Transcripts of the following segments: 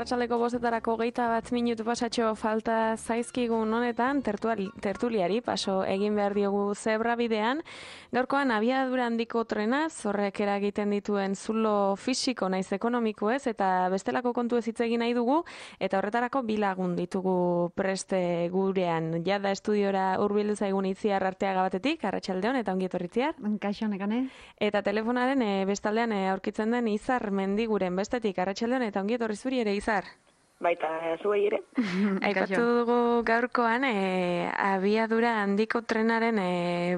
Arratsaldeko 5:00 21 pasatxo falta zaizkigun honetan tertuliari paso egin behar diogu zebra bidean. Gaurkoan abiadura handiko trenaz, horrek eragiten dituen zulo fisiko naiz ekonomiko ez, eta bestelako kontu ez hitz egin nahi dugu, eta horretarako bi lagun ditugu preste gurean. Jada estudiora hurbildu zaigun Itziar Arteaga batetik, arratsaldeon eta ongi etorri Itziar. Kaixo nekane. Eta telefonaren bestaldean aurkitzen den Izar Mendiguren bestetik, arratsaldeon eta ongi etorri zuri ere Izar. Baita zuei ere. Aipatu dugu gaurkoan abiadura handiko trenaren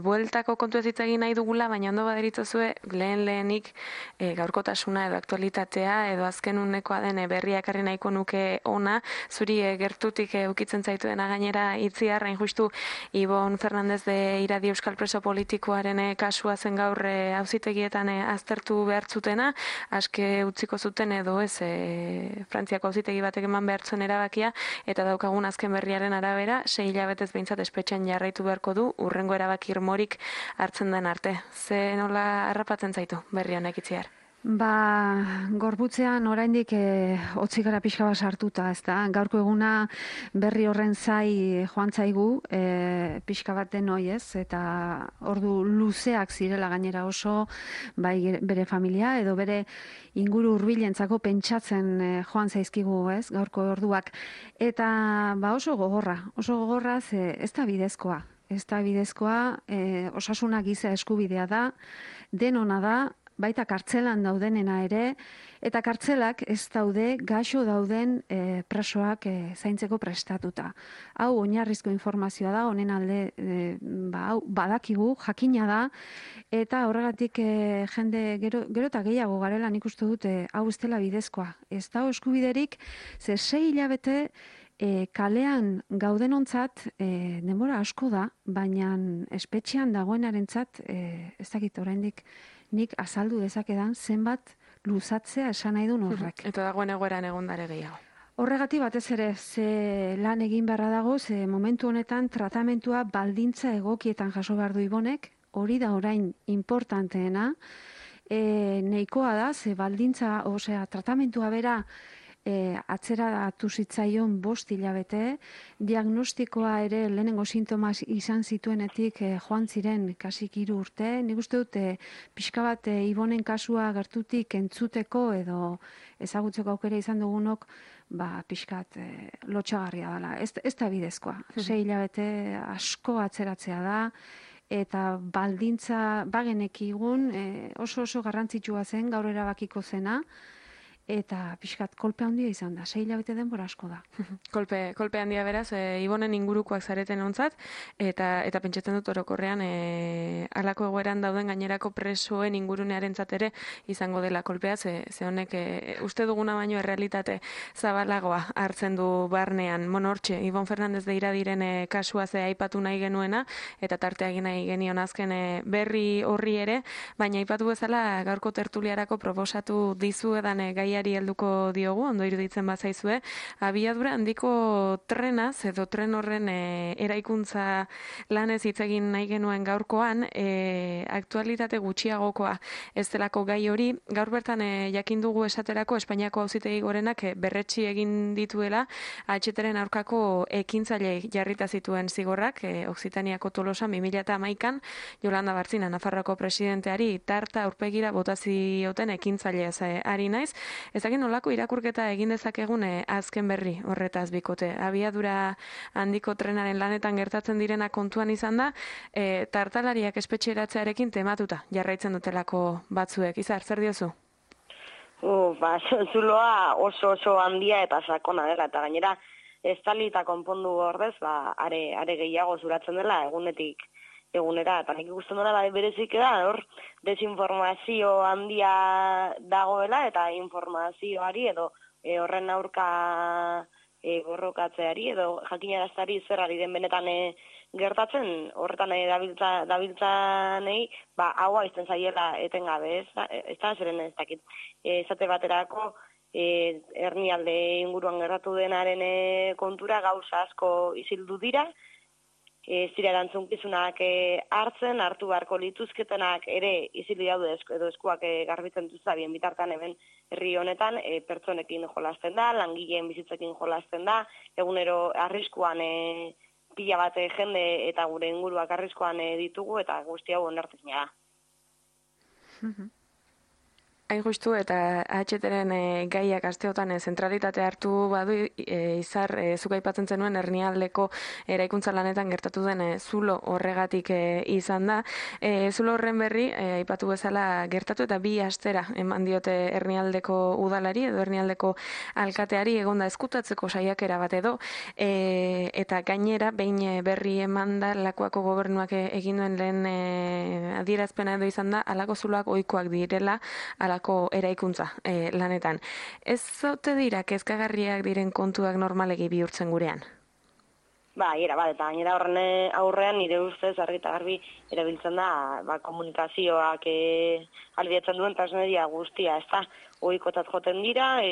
bueltako kontu ez hitz egin nahi dugula, baina ondo baderitzozue lehenik gaurkotasuna edo aktualitatea edo azken unekoa den berriak ekarri nahiko nuke ona, zuri gertutik ukitzen zaituena gainera Itziar, hain justu Ibon Fernandez de Iradi Euskal Preso Politikoaren kasua zen gaur auzitegietan aztertu behar zutena, aske utziko zuten edo ez Frantziako auzitegi batek eman behartzen erabakia, eta daukagun azken berriaren arabera, 6 hilabetez behintzat espetxean jarraitu beharko du, urrengo erabaki irmorik hartzen den arte. Ze nola harrapatzen zaitu berri honek Itziar? Gorbutzean oraindik hotzik gara pixka bat sartuta, ezta? Gaurko eguna berri horren zai joan zaigu, pixka bat denoi ez, eta ordu luzeak zirela gainera oso, bai bere familia edo bere inguru hurbilentzako pentsatzen joan zaizkigu ez, gaurko orduak. Eta oso gogorra ze ez da bidezkoa. Ez da bidezkoa, osasuna giza eskubidea da, denona da, baita kartzelan daudenena ere, eta kartzelak ez daude gaixo dauden presoak zaintzeko prestatuta. Hau oinarrizko informazioa da, honen alde badakigu, jakina da, eta horregatik jende gero eta gehiago garela nik uste dute hau ez dela bidezkoa. Ez da eskubiderik, ze 6 hilabete kalean gaudenontzat denbora asko da, baina espetxean dagoenarentzat ez dakit oraindik nik azaldu dezakedan zenbat luzatzea esan nahi duen horrek. Eta dagoen egoeran egondare gehiago. Horregatik batez ere, ze lan egin beharra dago, ze momentu honetan tratamentua baldintza egokietan jaso behar du Ibonek, hori da orain importanteena, nahikoa da, ze baldintza, tratamentua bera, atzeratu zitzaion 5 hilabete, diagnostikoa ere lehenengo sintomas izan zituenetik joan ziren kasik 3 urte. Nik uste dut pixka bat Ibonen kasua gertutik entzuteko edo ezagutzeko aukera izan dugunok, pixkat lotxagarria dela. Ez da bidezkoa. 6 hilabete asko atzeratzea da, eta baldintza bagenekigun oso garrantzitsua zen gaur erabakiko zena, eta pixkat kolpe handia izan da, 6 hilabete denbora asko da. Kolpe handia beraz, Ibonen ingurukoak zareten ontzat, eta pentsatzen dut orokorrean halako egoeran dauden gainerako presoen ingurunearen ere izango dela kolpea, ze honek uste duguna baino errealitate zabalagoa hartzen du barnean. Hortxe, Ibon Fernandez de Iradiren kasua ze aipatu nahi genuena, eta tartea egin nahi genion azken berri horri ere, baina aipatu bezala gaurko tertuliarako proposatu dizuedan gaiari helduko diogu, ondo iruditzen bazaizue, abiadura handiko trenaz edo tren horren eraikuntza lanez hitz egin nahi genuen gaurkoan, aktualitate gutxiagokoa ez delako gai hori. Gaur bertan jakin dugu esaterako Espainiako Auzitegi Gorenak berretsi egin dituela AHT-ren aurkako ekintzaile jarrita zituen zigorrak, Okzitaniako Tolosan 2011an Yolanda Bartzina Nafarroako presidenteari tarta aurpegira bota zioten ekintzaileaz ari naiz. Ezagin nolako irakurketa egin dezakegun azken berri horretaz bikote. Abiadura handiko trenaren lanetan gertatzen direna kontuan izan da, tartalariak espetxeratzearekin tematuta jarraitzen dutelako batzuek. Izar, zer diozu? Zuloa oso handia eta sakona dela, eta gainera estalita konpondu ordez, are gehiago zuratzen dela egunetik egunera, eta nik ikusten dela berezik da, hor desinformazio handia dagoela, eta informazioari edo horren aurka borrokatzeari edo jakinarazteari zer ari den benetan gertatzen, horretan dabiltzanei, haua izten zaiela etengabe, ez da zeren ez dakit. Esate baterako, hernialde inguruan gertatu denaren kontura gauza asko isildu dira, ez dira erantzunkizunak hartu beharko lituzketenak ere izili daude edo eskuak garbitzen duzta bien bitartean hemen herri honetan pertsonekin jolasten da, langileen bizitzekin jolasten da, egunero arriskuan pila bat jende eta gure inguruak arriskuan ditugu eta guzti hau onartezina da. Hain justu eta AHT-ren gaiak asteotan zentralitate hartu badu izar zuk aipatzen zenuen hernialdeko eraikuntza lanetan gertatu den zulo horregatik izan da. Zulo horren berri aipatu bezala gertatu eta 2 astera eman diote hernialdeko udalari edo hernialdeko alkateari egonda ezkutatzeko saiakera bat edo eta gainera behin berri emanda Lakuako gobernuak egin duen lehen adierazpena edo izan da halako zuloak ohikoak direla eraikuntza lanetan. Ez zote dira kezkagarriak diren kontuak normalegi bihurtzen gurean? Eta gainera horren aurrean nire ustez argi eta garbi erabiltzen da komunikazioak ahalbidetzen duen transmedia guztia, ez da, ohikotzat joten dira,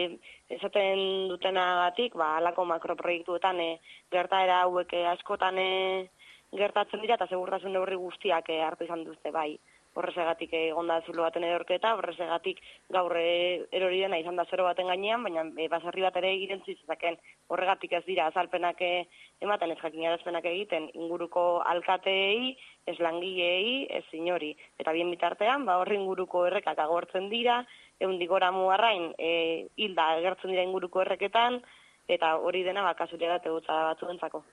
esaten dutenagatik, halako makroproiektuetan gertaera hauek askotan gertatzen dira eta segurtasun neurri guztiak hartu izan duzte bai. Horrezegatik egonda zulo baten edorketa, horrezegatik gaur erori dena izan da 0 baten gainean, baina baserri bat ere irentzi zezaken. Horregatik ez dira azalpenak ematen, ez jakinarazpenak egiten inguruko alkateei, ez langileei, ez inori. Eta bien bitartean, horri inguruko errekak agortzen dira, 100 gora mugarrain hilda agertzen dira inguruko erreketan, eta hori dena kasualitatea egotza batzuentzako.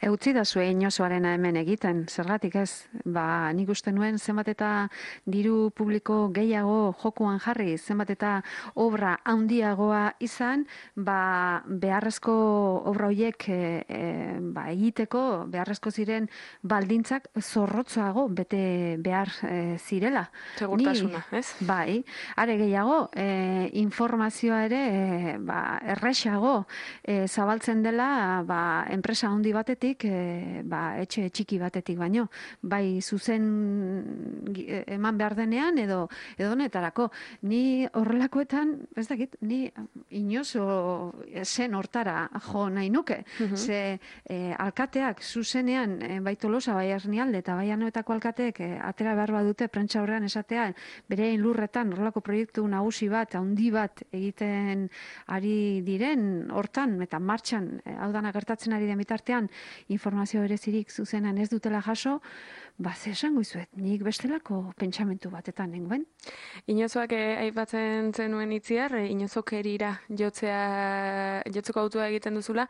Eutzi da zue inozoarena hemen egiten, zergatik ez? Nik uste nuen zenbat eta diru publiko gehiago jokuan jarri, zenbat eta obra handiagoa izan, beharrezko obra horiek egiteko, beharrezko ziren baldintzak zorrotzoago bete behar zirela. Segurtasuna, ez? Bai, are gehiago, informazioa ere erresago zabaltzen dela enpresa handi batetik, etxe txiki batetik baino, bai zuzen eman behar denean edo honetarako. Ni horrelakoetan, ez dakit, ni inozo zen hortara jo nahi nuke. Ze alkateak zuzenean, bai Tolosa, bai Hernialde eta bai Anoetako alkateek atera behar badute prentsa horrean esatea, berein lurretan horrelako proiektu nagusi bat, handi bat egiten ari diren hortan eta martxan, hau dana gertatzen ari den bitartean, informazio berezirik zuzenan ez dutela jaso, ze esango izuet, nik bestelako pentsamentu batetan nengoen. Inozoak aipatzen zenuen itziar, inozokerira jotzeko autua egiten duzula,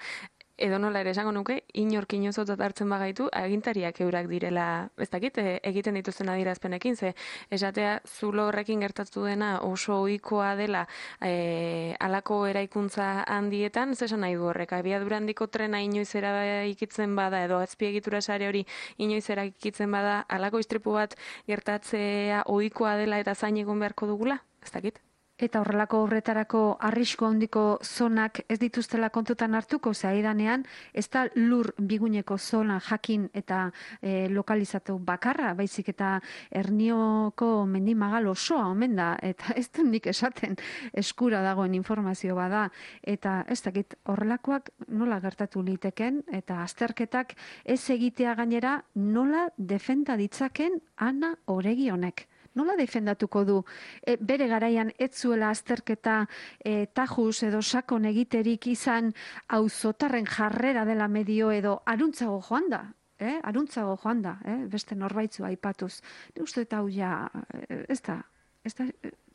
edo nola ere esango nuke, inork inozotzat hartzen bagaitu, agintariak eurak direla, ez dakit, egiten dituzten adierazpenekin, ze esatea zulo horrekin gertatu dena oso ohikoa dela halako eraikuntza handietan, ez esan nahi du horrek, abiadura handiko trena inoiz eraikitzen bada, edo azpiegitura sare hori inoiz eraikitzen bada, halako istripu bat gertatzea ohikoa dela eta zain egon beharko dugula, ez dakit? Eta horrelako obretarako arrisku handiko zonak ez dituztela kontutan hartuko, zaidanean, ez da lur biguneko zona jakin eta lokalizatu bakarra, baizik eta Hernioko mendimagal osoa omen da, eta ez du nik esaten eskura dagoen informazio bada, eta ez dakit horrelakoak nola gertatu liteken, eta azterketak ez egitea gainera nola defenda ditzaken Ana Oregi honek. Nola defendatuko du? Bere garaian ez zuela azterketa tajuz edo sakon egiterik izan auzotarren jarrera dela medio edo aruntzago joan da. Aruntzago joan da, beste norbaitzu aipatuz. Uste eta hau ja, ez da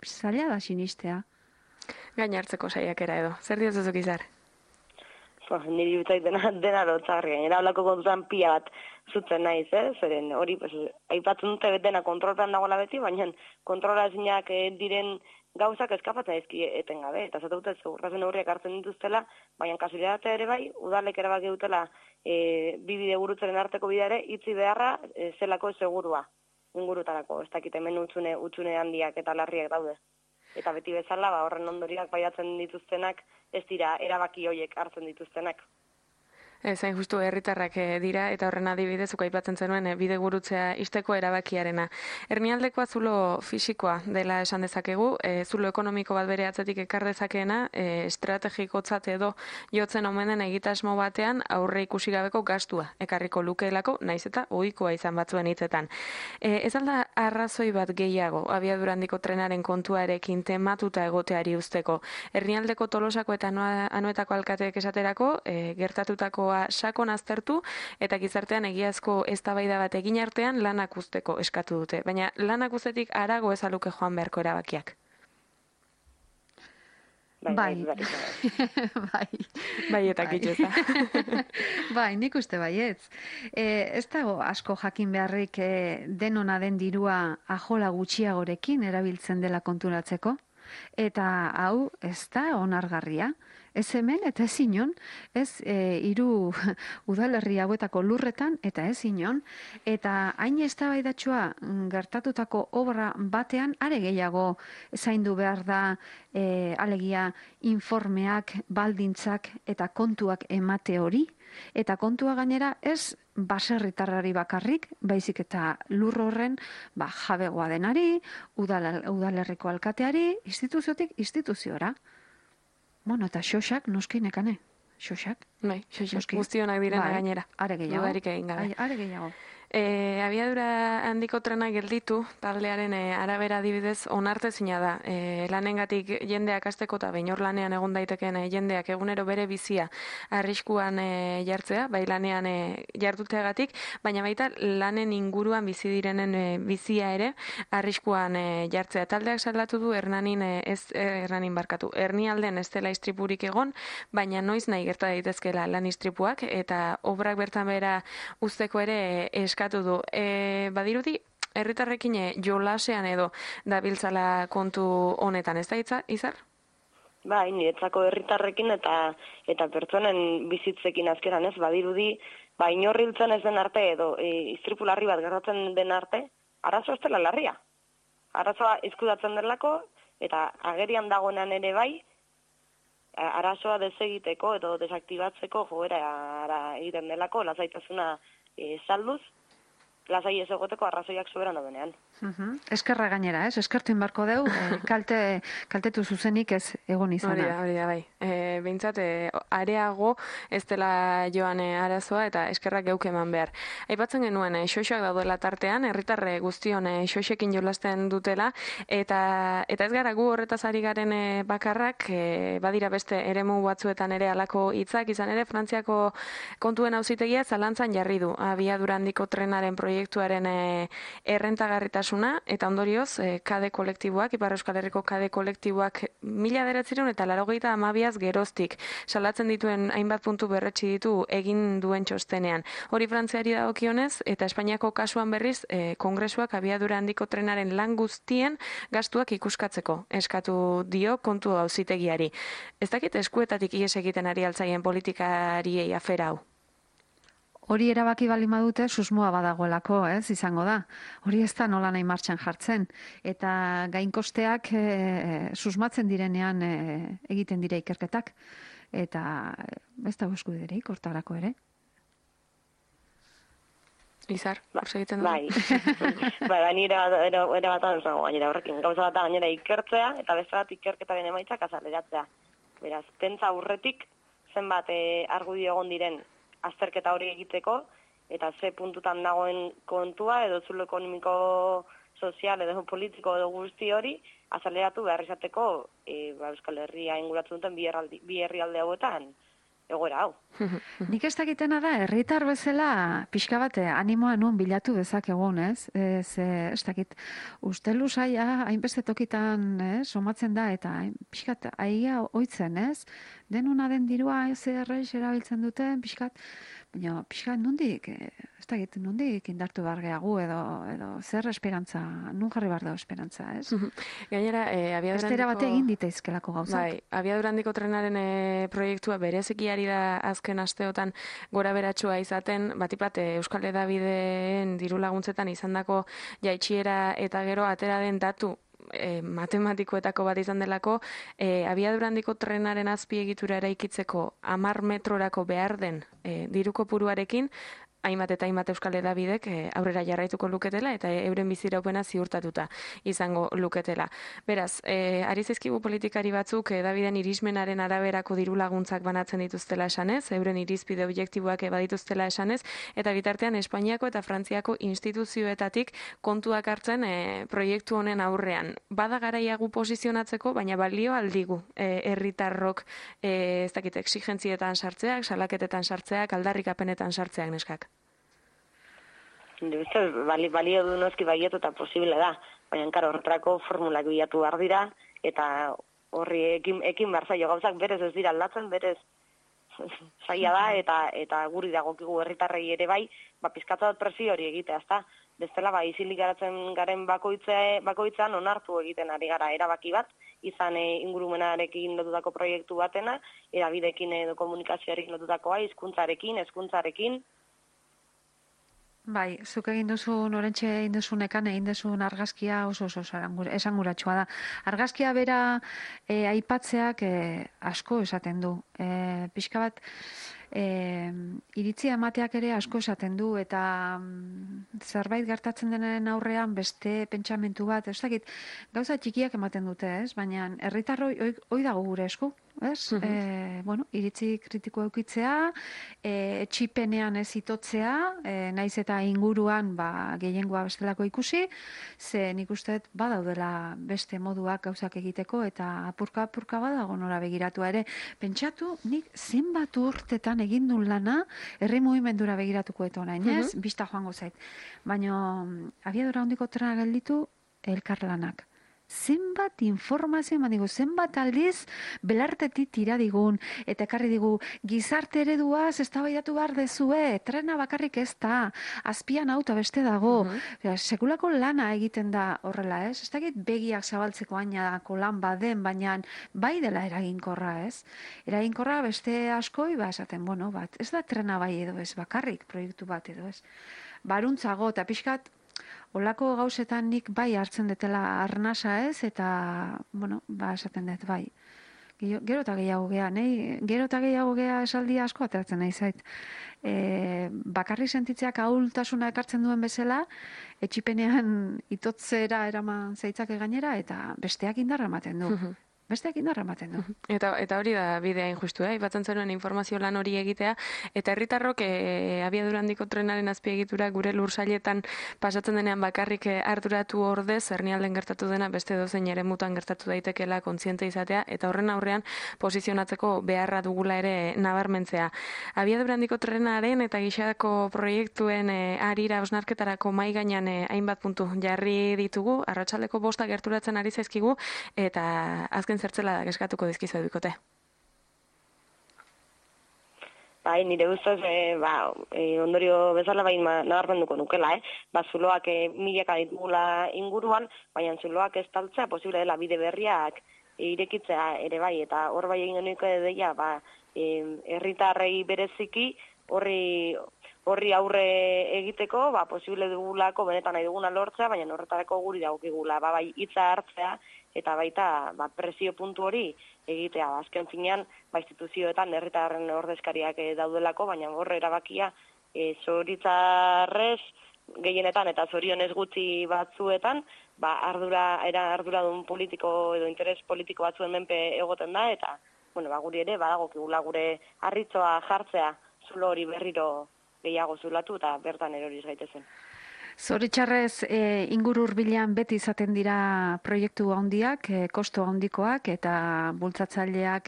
zaila da sinistea. Gain hartzeko saiakera edo. Zer diozuzuk izar? Niri utzait dena lotzarri, gainera holako kontutan pila bat zutzen naiz, zeren hori aipatzen dute dena kontrolpean dagoela beti, baina kontrola ezinak diren gauzak eskapatzen ezki etengabe, eta zate dute segurtasun neurriak hartzen dituztela, baina kasualitatea ere bai, udalek erabaki dutela bi bide gurutzaren arteko bidea ere, itzi beharra zelako segurua ingurutarako, ez dakit hemen utxune handiak eta larriak daude. Eta beti bezala, horren ondoriak baiatzen dituztenak, ez dira erabaki horiek hartzen dituztenak. Zain justu herritarrak dira eta horren adibidez aipatzen zenuen bide gurutzea isteko erabakiarena. Hernialdekoa zulo fisikoa dela esan dezakegu, zulo ekonomiko bat bere atzetik ekar dezakeena, estrategikotzat edo jotzen omen den egitasmo batean aurre ikusi gabeko gastua ekarriko lukeelako, naiz eta ohikoa izan batzuen hitzetan. Ez alda arrazoi bat gehiago abiadura handiko trenaren kontuarekin tematuta egoteari usteko. Hernialdeko Tolosako eta Anoetako alkateek esaterako, gertatutakoa sakon aztertu eta gizartean egiazko eztabaida bat egin artean lanak uzteko eskatu dute. Baina lanak uztetik harago ez aluke joan beharko erabakiak. Bai. Bai eta kitxeza. Bai, nik uste baietz. Ez dago asko jakin beharrik denona den dirua ajola gutxiagorekin erabiltzen dela konturatzeko. Eta hau ez da onargarria. Ez hemen eta ez inon, ez hiru udalerri hauetako lurretan eta ez inon, eta hain eztabaidatsua gertatutako obra batean are gehiago zaindu behar da alegia informeak, baldintzak eta kontuak emate hori, eta kontua gainera ez baserritarrari bakarrik, baizik eta lur horren jabegoa denari, udalerriko alkateari, instituziotik instituziora. Bueno, eta xoxak, noski nekane. Xoxak. Bai, xoxak. Guztionak direna gainera. Are gehiago. Dudarik egin gabe. Are gehiago. Abiadura handiko trena gelditu, taldearen arabera adibidez onartezina da. Lanengatik jendeak hasteko eta behin hor lanean egon daitekeen jendeak egunero bere bizia arriskuan jartzea, bai lanean jarduteagatik, baina baita lanen inguruan bizi direnen bizia ere arriskuan jartzea. Taldeak salatu du Hernialden ez dela istripurik egon, baina noiz nahi gerta daitezkeela lan istripuak eta obrak bertan bera uzteko ere eskatu du. Badirudi, herritarrekin jolasean edo dabiltzala kontu honetan, ez da Izar? Bai, niretzako herritarrekin eta pertsonen bizitzekin azkeran ez, badirudi, inorriltzen ez den arte edo istripu larri bat gertatzen den arte, arazo ez dela larria. Arazoa eskudatzen delako eta agerian dagoenan ere bai, arazoa desegiteko edo desaktibatzeko joera egiten delako, lasaitasuna salduz, lasai ez egoteko arrazoiak soberan daudenean. Eskerra gainera, ez? Eskertu inbarko deu, kaltetu zuzenik ez egon izana. Hori da, bai. Behintzat, areago ez dela joan arazoa eta eskerrak geuk eman behar. Aipatzen genuen, xoxoak daudela tartean, herritarre guztion xoxekin jolasten dutela, eta ez gara gu horretaz ari garen bakarrak, badira beste eremu batzuetan ere alako hitzak, izan ere Frantziako kontuen auzitegia zalantzan jarri du abiadura handiko trenaren proiektuaren errentagarritasuna, eta ondorioz, KD kolektiboak, Ipar Euskal Herriko KD kolektiboak 1982 geroztik salatzen dituen hainbat puntu berretsi ditu egin duen txostenean. Hori Frantziari dagokionez, eta Espainiako kasuan berriz, Kongresuak abiadura handiko trenaren lan guztien gastuak ikuskatzeko eskatu dio kontu auzitegiari. Ez dakit eskuetatik ihes egiten ari altzaien politikariei afera hau? Hori erabaki bali madute susmoa badagoelako, ez, izango da. Hori ez da nola nahi martxan jartzen. Eta gainkosteak susmatzen direnean egiten dira ikerketak. Eta ez da eskubiderik hortarako ere. Izar, hor egiten du? Bai, nire bat adantzango gainera horrekin. Gauza bat gainera ikertzea, eta beste bat ikerketaren emaitzak azaleratzea. Beraz, pentsa aurretik zenbat argudio egon diren azterketa hori egiteko, eta ze puntutan dagoen kontua, edo zulo ekonomiko, sozial, edo politiko, edo guzti hori, azaleratu behar izateko Euskal Herria inguratzen duten bi herrialde hauetan egoera hau. Nik ez dakitena da, herritar bezala pixka bat animoa nun bilatu dezakegun, ez? Ez dakit, uste luzaia hainbeste tokitan somatzen da, eta pixkat aia oitzen, ez? Denuna den dirua zerrez erabiltzen duten, pixkat, baina pixkat nondik, ez dakit, nondik indartu behar gehagu edo zer esperantza, nun jarri behar dago esperantza, ez? Gainera, abiadura handiko... bate egin ditaizkelako gauzak. Bai, abiadura handiko trenaren proiektua bereziki ari da azken asteotan gora beratsua izaten, batipat Euskal Hedabideen diru laguntzetan izandako jaitsiera eta gero atera den datu matematikoetako bat izan delako, abiadura handiko trenaren azpiegitura eraikitzeko 10 metrorako behar den diru kopuruarekin, hainbat eta hainbat euskal hedabidek aurrera jarraituko luketela eta euren biziraupena ziurtatuta izango luketela. Beraz, ari zaizkigu politikari batzuk hedabideen irismenaren araberako diru laguntzak banatzen dituztela esanez, euren irizpide objektiboak badituztela esanez, eta bitartean Espainiako eta Frantziako instituzioetatik kontuak hartzen proiektu honen aurrean. Bada garaia gu posizionatzeko, baina balio aldigu herritarrok ez dakit exigentzietan sartzeak, salaketetan sartzeak, aldarrikapenetan sartzeak neskak. Balio du noski baiet eta posible da, baina horretarako formulak bilatu behar dira, eta horri ekin behar zaio gauzak berez ez dira aldatzen, berez zaila da, eta guri dagokigu herritarrei ere bai, pizkatza presio hori egitea, ezta? Bestela, isilik garatzen garen bakoitzan onartu egiten ari gara erabaki bat, izan ingurumenarekin lotutako proiektu batena, erabidekin edo komunikazioarekin lotutakoa, hezkuntzarekin. Bai, zuk egin duzun, orentxe egin duzunekan, egin duzun argazkia oso esanguratsua da. Argazkia bera aipatzeak asko esaten du. Pixka bat, iritzia emateak ere asko esaten du, eta zerbait gertatzen denen aurrean beste pentsamentu bat, ez dakit, gauza txikiak ematen dute, ez? Baina herritarroi hoi dago gure esku, ez? Iritzi kritiko eukitzea, etxipenean ez itotzea, naiz eta inguruan gehiengoa bestelako ikusi, ze nik uste badaudela beste moduak gauzak egiteko, eta apurka badago nora begiratu ere. Pentsatu, nik zenbat urtetan egin duen lana, herri mugimendura begiratuko eta orain, ez? Bista joango zait. Baina, abiadura handiko trena gelditu, elkarlanak. Zenbat informazio eman digu, zenbat aldiz belartetik tira digun, eta ekarri digu, gizarte ereduaz eztabaidatu behar dezue, trena bakarrik ez da, azpian auto beste dago, sekulako lana egiten da horrela, ez? Ez dakit begiak zabaltzeko ainako lan baden, baina bai dela eraginkorra, ez? Eraginkorra beste askoi, esaten, ez da trena bai edo ez, bakarrik proiektu bat edo ez. Baruntzago, eta pixkat, olako gauzetan nik bai hartzen detela arnasa ez, eta, esaten dut, bai. Gero eta gehiago gea, esaldia asko ateratzen nahi zait. Bakarri sentitzeak ahultasuna ekartzen duen bezala, etxipenean itotzera eraman zeitzake gainera, eta besteak indarra ematen du. Eta hori da bidea injustu, ipatzen zenuen informazio lan hori egitea, eta herritarrok abiadura handiko trenaren azpiegitura gure lursailetan pasatzen denean bakarrik arduratu ordez, hernialden gertatu dena beste dozein eremutan gertatu daitekeela kontziente izatea, eta horren aurrean posizionatzeko beharra dugula ere nabarmentzea. Abiadura handiko trenaren eta gixako proiektuen arira osnarketarako mai gainean hainbat puntu jarri ditugu, arratsaldeko 5 gerturatzen ari zaizkigu, eta azken zertzela da eskatuko dizkizu edukute. Bai, nire ustez, ondorio bezala nabarmenduko nukela, zuloak milaka ditugula inguruan, baina zuloak ez taltzea posible dela bide berriak irekitzea ere bai, eta hor bai egin genuko deia, herritarrei bereziki horri aurre egiteko, posible dugulako benetan nahi duguna lortzea, baina horretarako guri dagokigula, bai hitza hartzea, eta baita presio puntu hori egitea. Azken finean, instituzioetan herritarren ordezkariak daudelako, baina horre erabakia zoritzarrez gehienetan eta zorionez gutxi batzuetan, arduradun politiko edo interes politiko batzuen menpe egoten da, eta guri ere badagokigula gure harritzoa jartzea zulo hori berriro gehiago zulatu eta bertan eroriz gaitezen. Zoritxarrez, inguru hurbilean beti izaten dira proiektu handiak, kosto handikoak eta bultzatzaileak,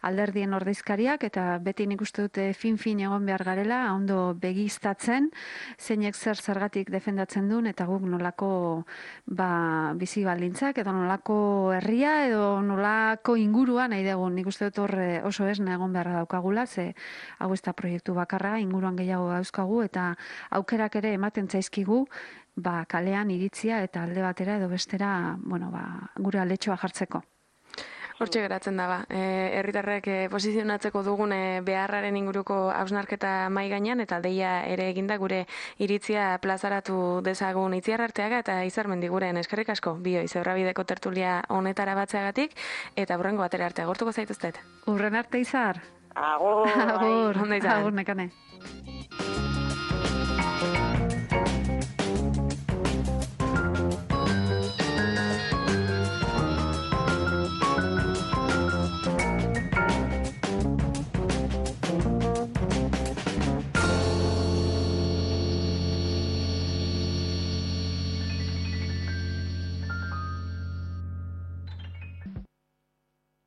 alderdien ordezkariak, eta beti nik uste dute fin egon behar garela, ondo begiztatzen, zeinek zergatik defendatzen duen, eta guk nolako bizi baldintzak, edo nolako herria, edo nolako ingurua nahi dugu. Nik uste dut hor oso esna egon beharra daukagula, ze hau ez da proiektu bakarra, inguruan gehiago dauzkagu, eta aukerak ere ematen zaizkigu, kalean iritzia eta alde batera edo bestera, gure aletxoa jartzeko. Hortxe geratzen daba. Herritarrek posizionatzeko dugun beharraren inguruko hausnarketa mai gainean eta deia ere eginda gure iritzia plazaratu dezagun Itziar Arteaga eta Izarmendi guren eskerrik asko bioi Zebrabideko tertulia honetara batzeagatik eta hurrengo atera arte agortuko zaituztet. Urren arte Izar. Agur. Agur, Ondo izan. agur nekane.